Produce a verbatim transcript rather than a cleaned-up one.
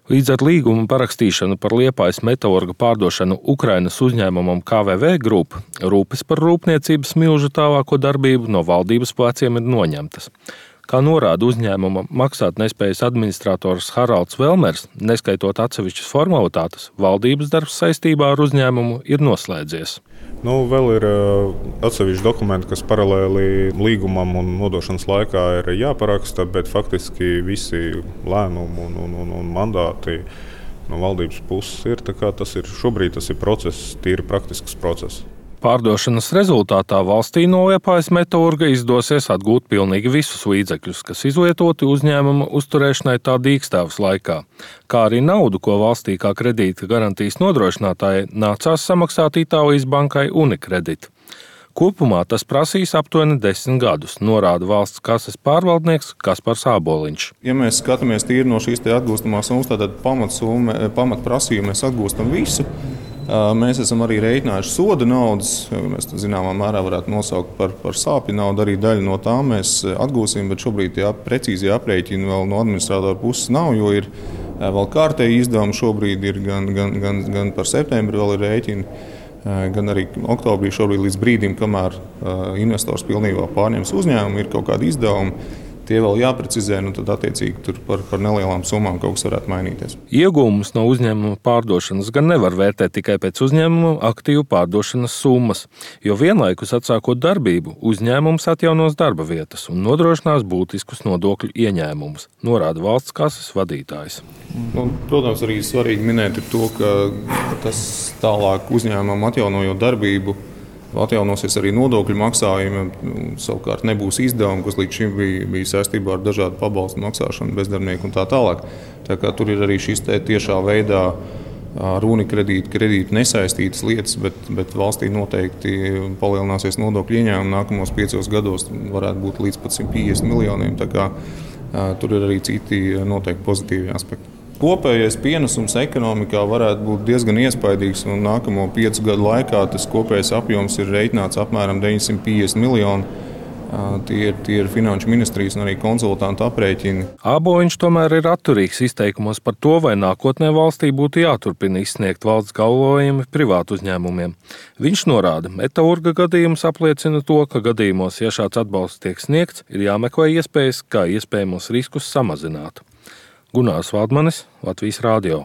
Līdz ar līguma parakstīšanu par Liepājas metalurga pārdošanu Ukrainas uzņēmumam K V V Group rūpes par rūpniecības milžu tālāko darbību no valdības pleciem ir noņemtas. Kā norāda uzņēmuma maksātnespējas administrators Haralds Velmers, neskaitot atsevišķas formalitātes, valdības darbs saistībā ar uzņēmumu ir noslēdzies. Nu, vēl ir atsevišķi dokumenti, kas paralēli līgumam un nodošanas laikā ir jāparaksta, bet faktiski visi lēmumi un, un, un, un mandāti no valdības puses ir. Tā kā tas ir šobrīd tas ir process, tīri praktisks process. Pārdošanas rezultātā valstī no Liepājas metalurga izdosies atgūt pilnīgi visus līdzekļus, kas izlietoti uzņēmuma uzturēšanai tā dīkstāves laikā, kā arī naudu, ko valstī kā kredīta garantijas nodrošinātājai nācās samaksāt Itālijas bankai Unicredit. Kopumā tas prasīs aptuveni desmit gadus, norāda valsts kases pārvaldnieks Kaspars Āboliņš. Ja mēs skatāmies tīri no šīs atgūstamās summas, tad pamatprasījumu mēs atgūstam visu. Mēs esam arī rēķinājuši soda naudas, mēs zināmā mērā varētu nosaukt par, par sāpju naudu, arī daļu no tā mēs atgūsim, bet šobrīd jā, precīzi aprēķini vēl no administratora puses nav, jo ir vēl kārtēji izdevumi šobrīd ir gan, gan, gan, gan par septembri vēl ir rēķini, gan arī oktobrī šobrīd līdz brīdim, kamēr investors pilnībā pārņems uzņēmumu, ir kaut kādi izdevumi. Tie vēl jāprecizē, nu tad attiecīgi tur par, par nelielām summām kaut kas varētu mainīties. Iegūmus no uzņēmuma pārdošanas gan nevar vērtēt tikai pēc uzņēmuma aktīvu pārdošanas summas, jo vienlaikus atsākot darbību, uzņēmums atjaunos darba vietas un nodrošinās būtiskus nodokļu ieņēmumus, norāda valsts kases vadītājs. Nu, protams, arī svarīgi minēt ir to, ka tas tālāk uzņēmumam atjaunojot darbību, atjaunosies arī nodokļu maksājumi, savukārt nebūs izdevumi, kas līdz šim bija, bija saistībā ar dažādu pabalstu maksāšanu, bezdarbnieku un tā tālāk. Tā kā tur ir arī šis tiešā veidā ar Unicredit kredītu nesaistītas lietas, bet, bet valstī noteikti palielināsies nodokļu ieņēmumi nākamos piecos gados, varētu būt līdz pat simt piecdesmit miljoniem. Tā kā tur ir arī citi noteikti pozitīvi aspekti. Kopējais pienesums ekonomikā varētu būt diezgan iespaidīgs, un nākamo piecu gadu laikā tas kopējais apjoms ir reiķināts apmēram deviņsimt piecdesmit miljoni. Tie ir, tie ir finanšu ministrijas un arī konsultantu aprēķini. Āboliņš tomēr ir atturīgs izteikumos par to, vai nākotnē valstī būtu jāturpina izsniegt valsts galvojumi privātu uzņēmumiem. Viņš norāda, metalurga gadījums apliecina to, ka gadījumos, ja šāds atbalsts tiek sniegts, ir jāmeklē iespējas, kā iespējamos riskus samazināt. Gunārs Valdmanis, Latvijas Rādio.